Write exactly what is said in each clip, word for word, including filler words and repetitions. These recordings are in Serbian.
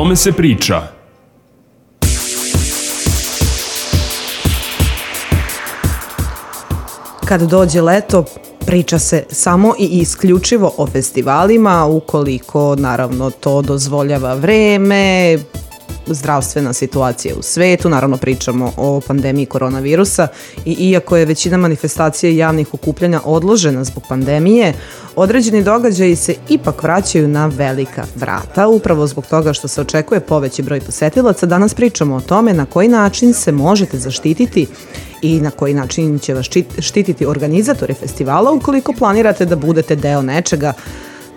tome se priča. Kad dođe leto, priča se samo i isključivo o festivalima, ukoliko naravno to dozvoljava vreme, zdravstvena situacija u svetu, naravno pričamo o pandemiji koronavirusa i iako je većina manifestacija i javnih okupljanja odložena zbog pandemije, određeni događaji se ipak vraćaju na velika vrata. Upravo zbog toga što se očekuje poveći broj posetilaca, danas pričamo o tome na koji način se možete zaštititi i na koji način će vas štititi organizatori festivala ukoliko planirate da budete deo nečega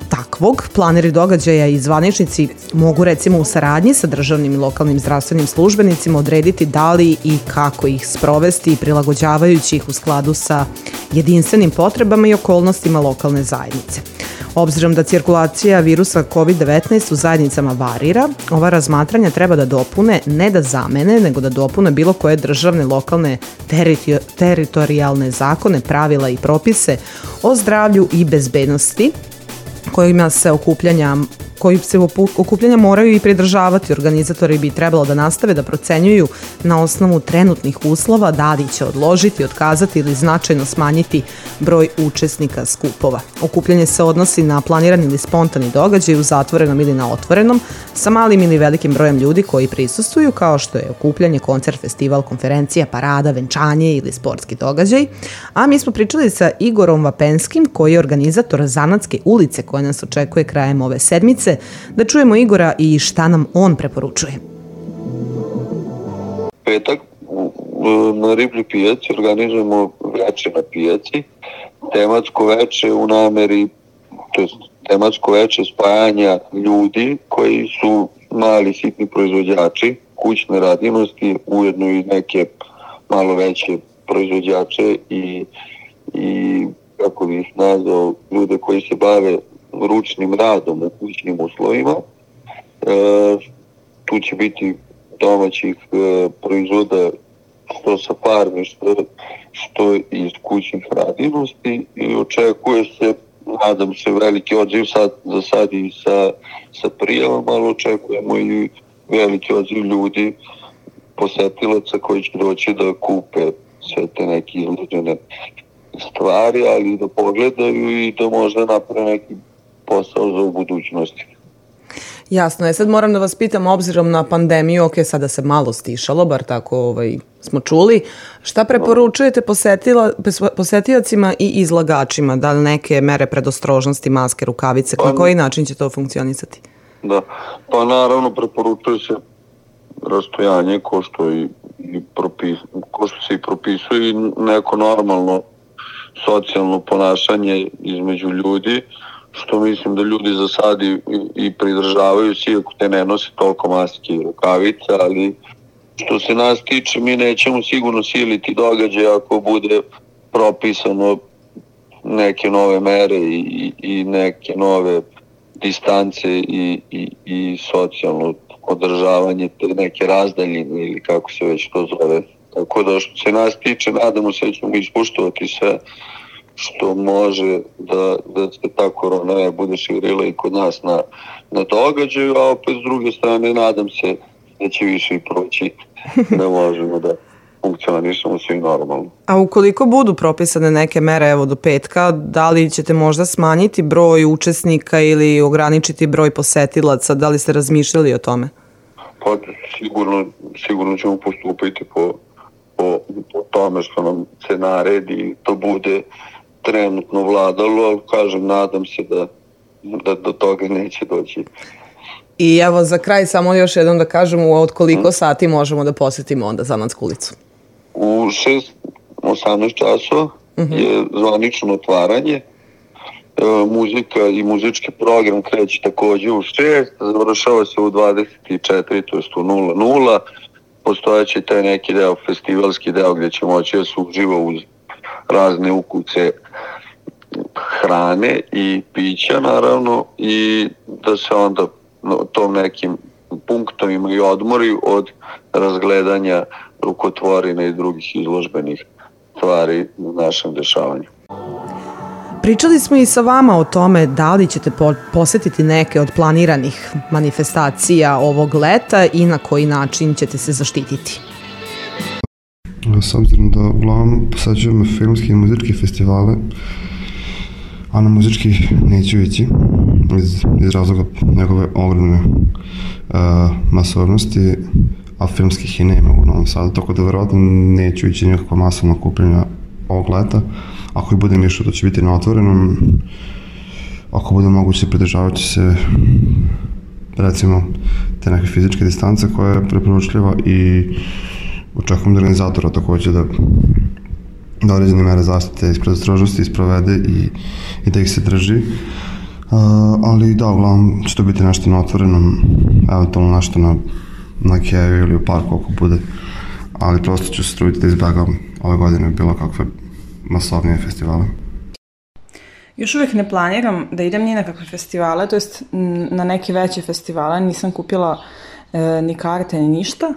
takvog. Planeri događaja i zvaničnici mogu recimo u saradnji sa državnim i lokalnim zdravstvenim službenicima odrediti da li i kako ih sprovesti, prilagođavajući ih u skladu sa jedinstvenim potrebama i okolnostima lokalne zajednice. Obzirom da cirkulacija virusa kovid devetnaest u zajednicama varira, ova razmatranja treba da dopune, ne da zamene, nego da dopune bilo koje državne, lokalne, terito- teritorijalne zakone, pravila i propise o zdravlju i bezbednosti kojima se okupljanja koji se okupljanja moraju i pridržavati. Organizatori bi trebalo da nastave da procenjuju na osnovu trenutnih uslova da li će odložiti, otkazati ili značajno smanjiti broj učesnika skupova. Okupljanje se odnosi na planirani ili spontani događaj u zatvorenom ili na otvorenom sa malim ili velikim brojem ljudi koji prisustvuju, kao što je okupljanje, koncert, festival, konferencija, parada, venčanje ili sportski događaj. A mi smo pričali sa Igorom Vapenskim, koji je organizator Zanatske ulice koja nas očekuje krajem ove sedmice. Da čujemo Igora i šta nam on preporučuje. Petak na Riblji pijaci organizujemo veče na pijaci, tematsko veče u nameri, to je tematsko veče spajanja ljudi koji su mali sitni proizvođači kućne radinosti, ujedno i neke malo veće proizvođače i, i kako bih nazvao, ljude koji se bave ručnim radom u kućnim uslovima. E, tu će biti domaćih e, proizvoda što sa farmi, što, što iz kućnih radinosti i očekuje se, nadam se, veliki odziv sad, za sad i sa, sa prijavom, ali očekujemo i veliki odziv ljudi, posetilaca koji će doći da kupe sve te neke izložene stvari, ali da pogledaju i da možda naprave neki posao za u budućnosti. Jasno je, sad moram da vas pitam, obzirom na pandemiju, ok, sada se malo stišalo, bar tako ovaj, smo čuli, šta preporučujete posetila, posetiocima i izlagačima? Da li neke mere predostrožnosti, maske, rukavice, pa, na koji način će to funkcionisati? Da, pa naravno preporučuje se rastojanje ko što, i, i propis, ko što se i propisuje i neko normalno socijalno ponašanje između ljudi, što mislim da ljudi za sad i, i pridržavaju se, iako te ne nose toliko maske i rukavica, ali što se nas tiče, mi nećemo sigurno siliti događaj ako bude propisano neke nove mere i, i neke nove distance i, i, i socijalno održavanje, te neke razdaljine ili kako se već to zove. Tako da što se nas tiče, nadamo se da ćemo ispoštovati sve što može da, da se ta korona ne bude širila i kod nas na, na događaju, a opet s druge strane nadam se da će više i proći, da možemo da funkcionišemo svi normalno. A ukoliko budu propisane neke mere evo do petka, da li ćete možda smanjiti broj učesnika ili ograničiti broj posetilaca, da li ste razmišljali o tome? Pa sigurno, sigurno ćemo postupiti po, po, po tome što nam se naredi i to bude trenutno vladalo, ali kažem, nadam se da, da do toga neće doći. I evo za kraj samo još jednom da kažemo od koliko hmm. sati možemo da posetimo onda Zanatsku ulicu? U šest osamnaest časova uh-huh. je zvanično otvaranje. E, muzika i muzički program kreće takođe u šest, završava se u dvadeset četiri, to jest u nula nula. Postojeći taj neki deo, festivalski deo gdje će moći da se uživa uz razne ukuce hrane i pića naravno i da se onda tom nekim punktovima i odmori od razgledanja rukotvorina i drugih izložbenih stvari u našem dešavanju. Pričali smo i sa vama o tome da li ćete posetiti neke od planiranih manifestacija ovog leta i na koji način ćete se zaštititi. S obzirom da uglavnom posećujemo filmske i muzičke festivale, a na muzički neću ići iz, iz razloga njegove ogromne uh, masovnosti, a filmskih i nema u Novom Sadu, tako da verovatno neću ići nikakva masovna kupljenja ovog leta. Ako i budem išao, to će biti na otvorenom. Ako bude moguće, pridržavat će se recimo te neke fizičke distance koja je preporučljiva i očekujem da organizatora takođe da da određene mere zaštite iz predostrožnosti isprovede i, i da ih se drži. Uh, ali da, uglavnom će to biti nešto na otvorenom, eventualno nešto na, na keju ili u parku ako bude, ali prosto ću se truditi da izbjegam ove godine bilo kakve masovnije festivale. Još uvijek ne planiram da idem ni na kakve festivale, to jest na neke veće festivale, nisam kupila e, ni karte ni ništa,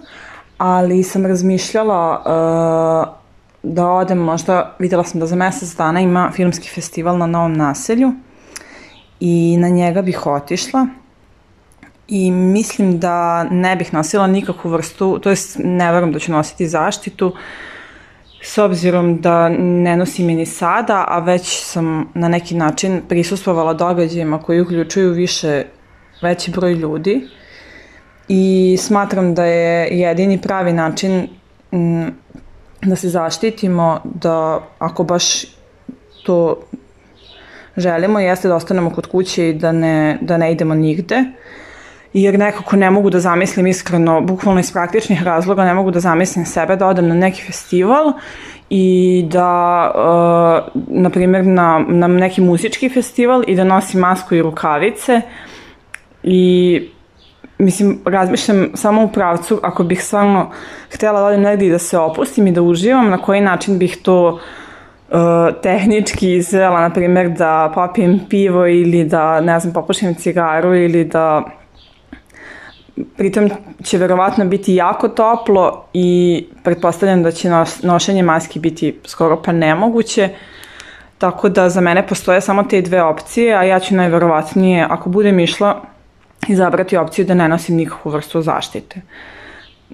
ali sam razmišljala e, da odem, možda videla sam da za mesec dana ima filmski festival na Novom Naselju i na njega bih otišla i mislim da ne bih nosila nikakvu vrstu, to jest ne verujem da ću nositi zaštitu, s obzirom da ne nosim je ni sada, a već sam na neki način prisustvovala događajima koji uključuju više, veći broj ljudi i smatram da je jedini pravi način m, da se zaštitimo, da ako baš to želimo, jeste da ostanemo kod kuće i da ne, da ne idemo nigde, jer nekako ne mogu da zamislim iskreno, bukvalno iz praktičnih razloga, ne mogu da zamislim sebe da odem na neki festival i da, uh, na primjer, na, na neki muzički festival i da nosim masku i rukavice i mislim, razmišljam samo u pravcu, ako bih stvarno htjela da odem negdje i da se opustim i da uživam, na koji način bih to uh, tehnički izvela, na primjer da popijem pivo ili da, ne znam, popušim cigaru ili da pritom će verovatno biti jako toplo i pretpostavljam da će nošenje maski biti skoro pa nemoguće, tako da za mene postoje samo te dve opcije, a ja ću najverovatnije, ako budem išla, izabrati opciju da ne nosim nikakvu vrstu zaštite.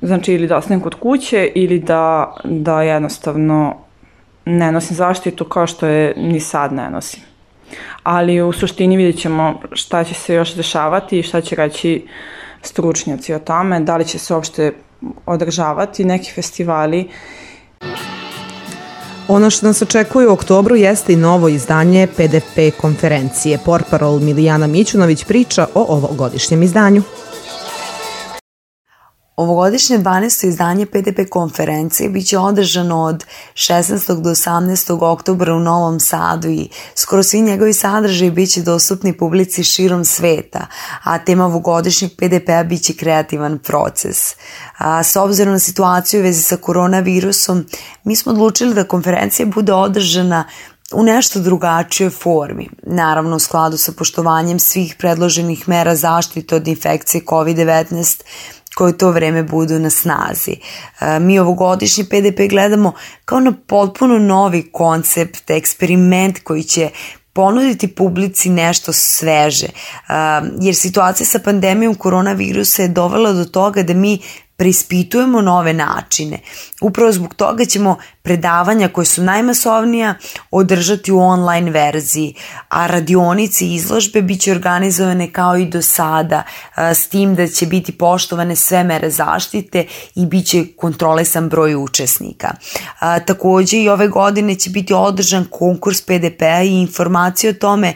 Znači ili da ostanem kod kuće ili da, da jednostavno ne nosim zaštitu kao što je ni sad ne nosim. Ali u suštini vidjet ćemo šta će se još dešavati i šta će reći stručnjaci o tome, da li će se uopšte održavati neki festivali. Ono što nas očekuje u oktobru jeste i novo izdanje P D P konferencije. Portparol Milijana Mićunović priča o ovogodišnjem izdanju. Ovogodišnje dvanaesto izdanje P D P konferencije biće održano od šesnaestog do osamnaestog oktobra u Novom Sadu i skoro svi njegovi sadržaji biće dostupni publici širom sveta, a tema ovogodišnjeg P D P-a biće kreativan proces. A, s obzirom na situaciju u vezi sa koronavirusom, mi smo odlučili da konferencija bude održana u nešto drugačijoj formi, naravno u skladu sa poštovanjem svih predloženih mera zaštite od infekcije kovid devetnaest koje u to vreme budu na snazi. Mi ovogodišnji P D P gledamo kao na potpuno novi koncept, eksperiment koji će ponuditi publici nešto sveže, jer situacija sa pandemijom koronavirusa je dovela do toga da mi preispitujemo nove načine. Upravo zbog toga ćemo predavanja koje su najmasovnija održati u online verziji, a radionice i izložbe bit će organizovane kao i do sada, s tim da će biti poštovane sve mere zaštite i bit će kontrolisan broj učesnika. Takođe i ove godine će biti održan konkurs P D P-a i informacije o tome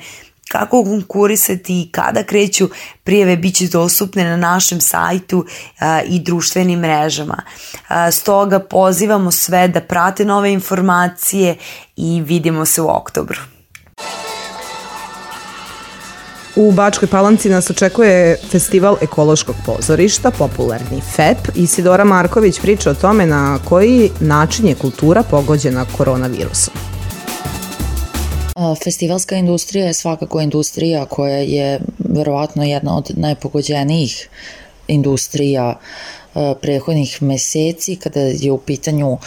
kako konkurisati i kada kreću prijave bit će dostupne na našem sajtu a, i društvenim mrežama. A, stoga pozivamo sve da prate nove informacije i vidimo se u oktobru. U Bačkoj Palanci nas očekuje festival ekološkog pozorišta, popularni F E P. Isidora Marković priča o tome na koji način je kultura pogođena koronavirusom. Festivalska industrija je svakako industrija koja je verovatno jedna od najpogođenijih industrija prethodnih meseci kada je u pitanju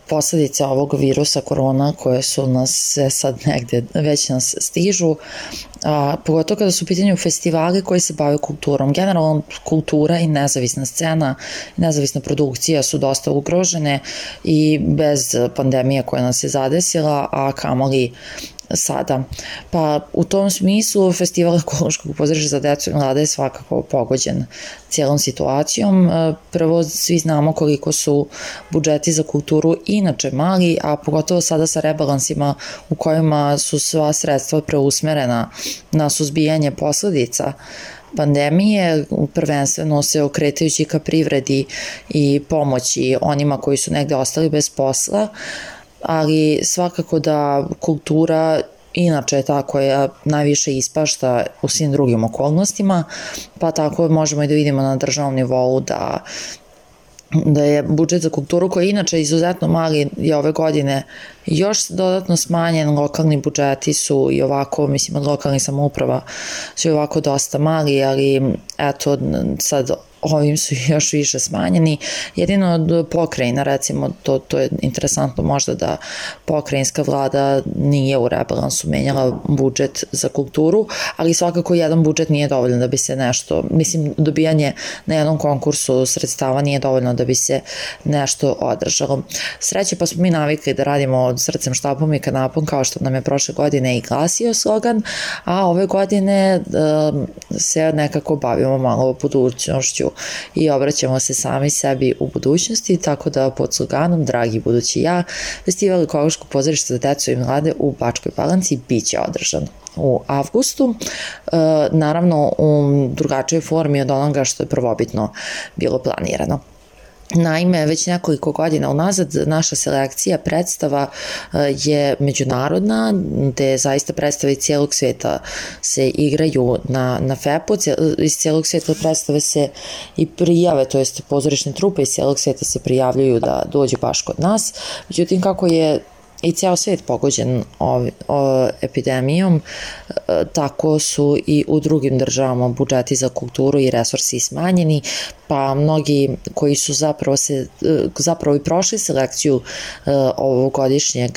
posledice ovog virusa korona koje su nas sad negde već nas stižu, a pogotovo kada su u pitanju festivali koji se bave kulturom. Generalno kultura i nezavisna scena, nezavisna produkcija su dosta ugrožene i bez pandemije koja nas je zadesila, a kamoli sada. Pa u tom smislu Festival ekološkog pozorišta za decu i mlade je svakako pogođen cijelom situacijom. Prvo, svi znamo koliko su budžeti za kulturu inače mali, a pogotovo sada sa rebalansima u kojima su sva sredstva preusmerena na suzbijanje posledica pandemije, prvenstveno se okretajući ka privredi i pomoći onima koji su negde ostali bez posla, ali svakako da kultura inače je ta koja najviše ispašta u svim drugim okolnostima, pa tako možemo i da vidimo na državnom nivou da da je budžet za kulturu koji je inače izuzetno mali je ove godine još dodatno smanjen, lokalni budžeti su i ovako, mislim od lokalnih samouprava su i ovako dosta mali, ali eto sad ovim su još više smanjeni. Jedino od pokrajina, recimo, to, to je interesantno možda da pokrajinska vlada nije u rebalansu menjala budžet za kulturu, ali svakako jedan budžet nije dovoljno da bi se nešto, mislim, dobijanje na jednom konkursu sredstava nije dovoljno da bi se nešto održalo. Sreće pa smo mi navikli da radimo od srcem, štapom i kanapom, kao što nam je prošle godine i glasio slogan, a ove godine um, se nekako bavimo malo budućnošću i obraćamo se sami sebi u budućnosti, tako da pod sloganom Dragi budući ja, Festival ekološkog pozorišta za decu i mlade u Bačkoj Palanci biće održan u avgustu, e, naravno u drugačijoj formi od onoga što je prvobitno bilo planirano. Naime, već nekoliko godina unazad naša selekcija predstava je međunarodna, gde zaista predstave iz cijelog sveta se igraju na, na F E P-u, iz cijelog sveta predstave se i prijave, to jest pozorišne trupe iz cijelog sveta se prijavljuju da dođu baš kod nas, međutim kako je i ceo svet pogođen ovi, o, epidemijom, tako su i u drugim državama budžeti za kulturu i resursi smanjeni, pa mnogi koji su zapravo, se, zapravo i prošli selekciju ovogodišnjeg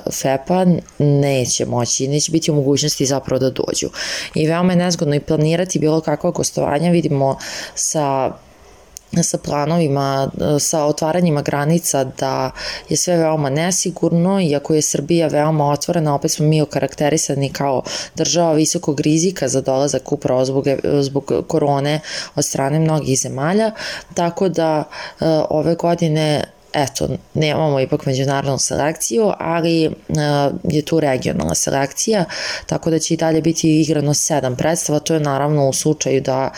F E P-a neće moći, neće biti u mogućnosti zapravo da dođu. I veoma je nezgodno i planirati bilo kakva gostovanja, vidimo sa sa planovima, sa otvaranjima granica da je sve veoma nesigurno, iako je Srbija veoma otvorena, opet smo mi okarakterisani kao država visokog rizika za dolazak upravo zbog, zbog korone od strane mnogih zemalja, tako da ove godine eto, nemamo ipak međunarodnu selekciju, ali uh, je tu regionalna selekcija, tako da će i dalje biti igrano sedam predstava, to je naravno u slučaju da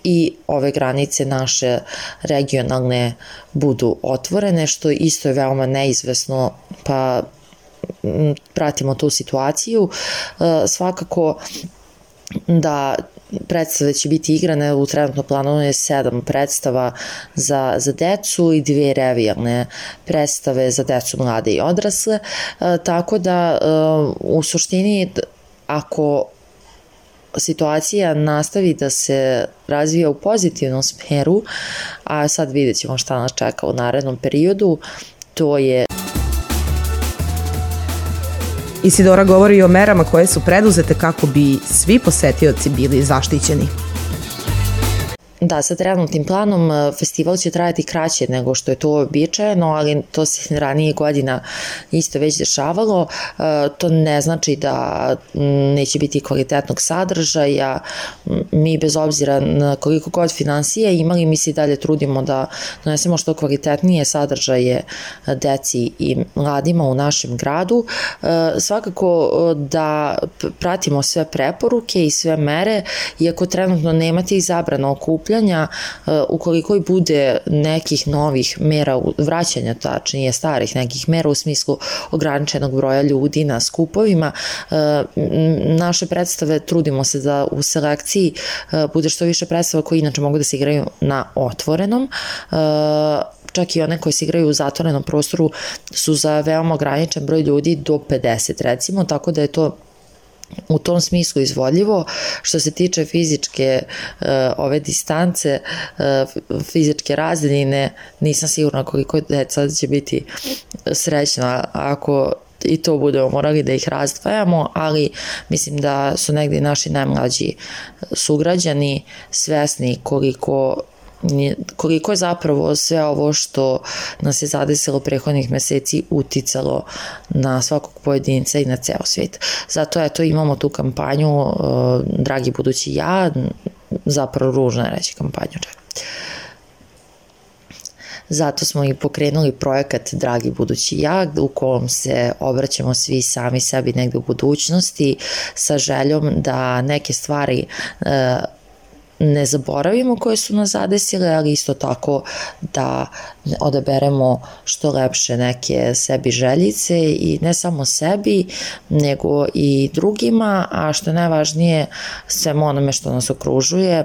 i ove granice naše regionalne budu otvorene, što isto je veoma neizvesno, pa m, pratimo tu situaciju. Uh, svakako da predstave će biti igrane, u trenutno planu je sedam predstava za, za decu i dve revijalne predstave za decu, mlade i odrasle, e, tako da e, u suštini ako situacija nastavi da se razvija u pozitivnom smeru, a sad vidjet ćemo šta nas čeka u narednom periodu, to je Isidora govori o merama koje su preduzete kako bi svi posetioci bili zaštićeni. Da, sa trenutnim planom festival će trajati kraće nego što je to običajeno, ali to se ranije godina isto već dešavalo. To ne znači da neće biti kvalitetnog sadržaja. Mi bez obzira na koliko god finansije imali, mi se i dalje trudimo da donesemo što kvalitetnije sadržaje deci i mladima u našem gradu. Svakako da pratimo sve preporuke i sve mere, iako trenutno nemate i zabrana okupljanja, ukoliko i bude nekih novih mera, vraćanja tačnije starih nekih mera u smislu ograničenog broja ljudi na skupovima, naše predstave trudimo se da u selekciji bude što više predstava koji inače mogu da se igraju na otvorenom, čak i one koje se igraju u zatvorenom prostoru su za veoma ograničen broj ljudi do pedeset recimo, tako da je to u tom smislu izvodljivo. Što se tiče fizičke uh, ove distance, uh, fizičke razdaljine, nisam sigurna koliko deca će biti srećna ako i to budemo morali da ih razdvajamo, ali mislim da su negdje naši najmlađi sugrađani svesni koliko koliko je zapravo sve ovo što nas je zadesilo prethodnih meseci uticalo na svakog pojedinca i na ceo svijet. Zato eto imamo tu kampanju uh, Dragi budući ja, zapravo ružno je reći kampanju čak. Zato smo i pokrenuli projekat Dragi budući ja, u kojem se obraćamo svi sami sebi negde u budućnosti sa željom da neke stvari uh, ne zaboravimo koje su nas zadesile, ali isto tako da odaberemo što lepše neke sebi željice i ne samo sebi, nego i drugima, a što je najvažnije svemu onome što nas okružuje,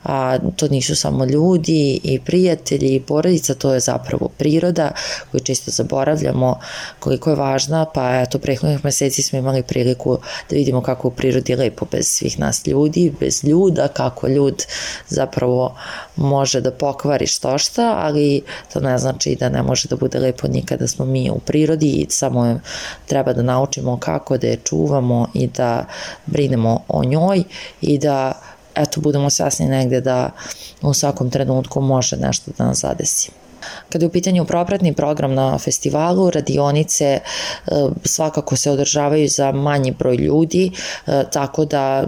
a to nisu samo ljudi i prijatelji i porodica, to je zapravo priroda koju često zaboravljamo koliko je važna, pa eto prethodnih meseci smo imali priliku da vidimo kako u prirodi je lepo bez svih nas ljudi, bez ljuda, kako ljud zapravo može da pokvari što šta, ali to ne znači da ne može da bude lepo nikada smo mi u prirodi i samo treba da naučimo kako da je čuvamo i da brinemo o njoj i da eto budemo svesni negde da u svakom trenutku može nešto da nas zadesi. Kada je u pitanju propratni program na festivalu, radionice svakako se održavaju za manji broj ljudi, tako da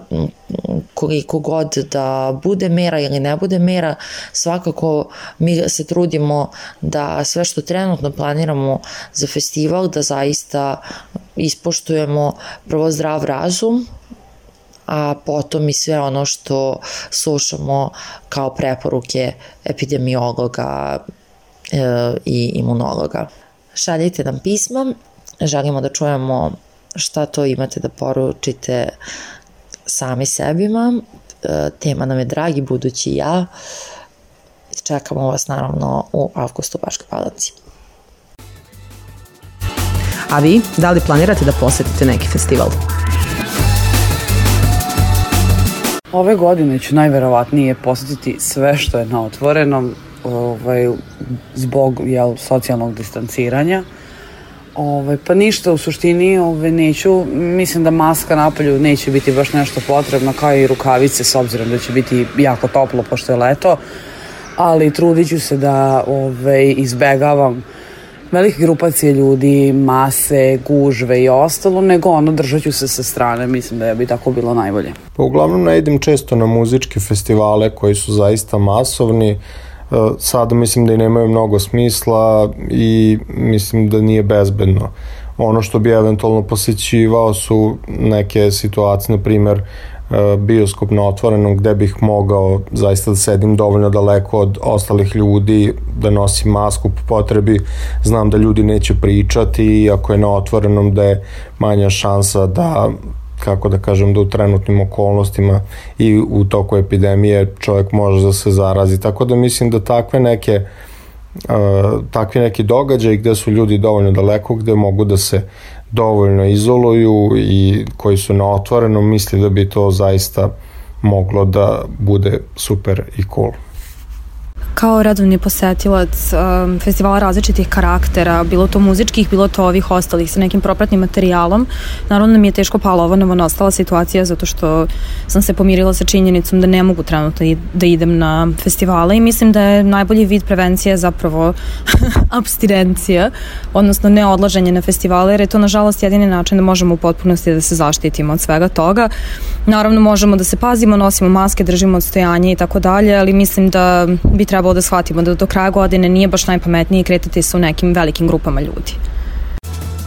koliko god da bude mera ili ne bude mera, svakako mi se trudimo da sve što trenutno planiramo za festival, da zaista ispoštujemo prvo zdrav razum, a potom i sve ono što slušamo kao preporuke epidemiologa i imunologa. Šaljite nam pisma, želimo da čujemo šta to imate da poručite sami sebima. Tema nam je Dragi budući ja. Čekamo vas naravno u avgustu u Bačkoj Palanci. A vi, da li planirate da posetite neki festival? Ove godine ću najverovatnije posetiti sve što je na otvorenom, ovaj, zbog jel, socijalnog distanciranja. Ovaj, pa ništa u suštini ovaj, neću, mislim da maska napolju neće biti baš nešto potrebno, kao i rukavice, s obzirom da će biti jako toplo pošto je leto, ali trudit ću se da ovaj, izbegavam velike grupacije ljudi, mase, gužve i ostalo, nego ono držat ću se sa strane, mislim da bi tako bilo najbolje. Pa uglavnom ne idem često na muzičke festivale koji su zaista masovni, sada mislim da i nemaju mnogo smisla i mislim da nije bezbedno. Ono što bi eventualno posjećivao su neke situacije, na primer bioskop na otvorenom gde bih mogao zaista da sedim dovoljno daleko od ostalih ljudi, da nosim masku po potrebi, znam da ljudi neće pričati i ako je na otvorenom da je manja šansa da, kako da kažem, da u trenutnim okolnostima i u toku epidemije čovjek može da se zarazi, tako da mislim da takve neke uh, takvi neki događaj gde su ljudi dovoljno daleko, gde mogu da se dovoljno izoluju i koji su na otvorenom, misli da bi to zaista moglo da bude super i cool. Kao redovni posetilac um, festivala različitih karaktera, bilo to muzičkih, bilo to ovih ostalih sa nekim propratnim materijalom, naravno da mi je teško pala ova novonastala situacija zato što sam se pomirila sa činjenicom da ne mogu trenutno da idem na festivale i mislim da je najbolji vid prevencije zapravo apstinencija, odnosno neodlaženje na festivale, jer je to nažalost jedini način da možemo u potpunosti da se zaštitimo od svega toga. Naravno možemo da se pazimo, nosimo maske, držimo odstojanje i tako dalje, ali mislim da bi trebalo da shvatimo da do kraja godine nije baš najpametnije kretati se u nekim velikim grupama ljudi.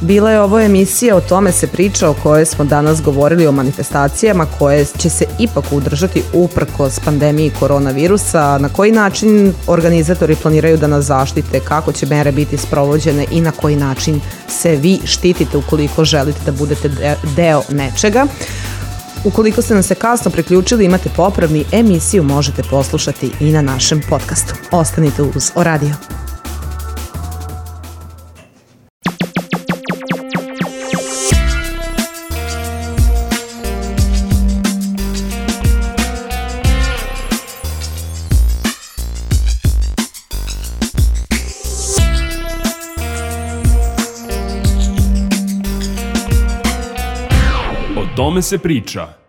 Bila je ovo emisija O tome se priča, o kojoj smo danas govorili o manifestacijama koje će se ipak udržati uprkos pandemiji koronavirusa. Na koji način organizatori planiraju da nas zaštite, kako će mere biti sprovođene i na koji način se vi štitite ukoliko želite da budete deo nečega. Ukoliko ste nam se kasno priključili, imate popravni, emisiju možete poslušati i na našem podcastu. Ostanite uz O Radio. tome se priča.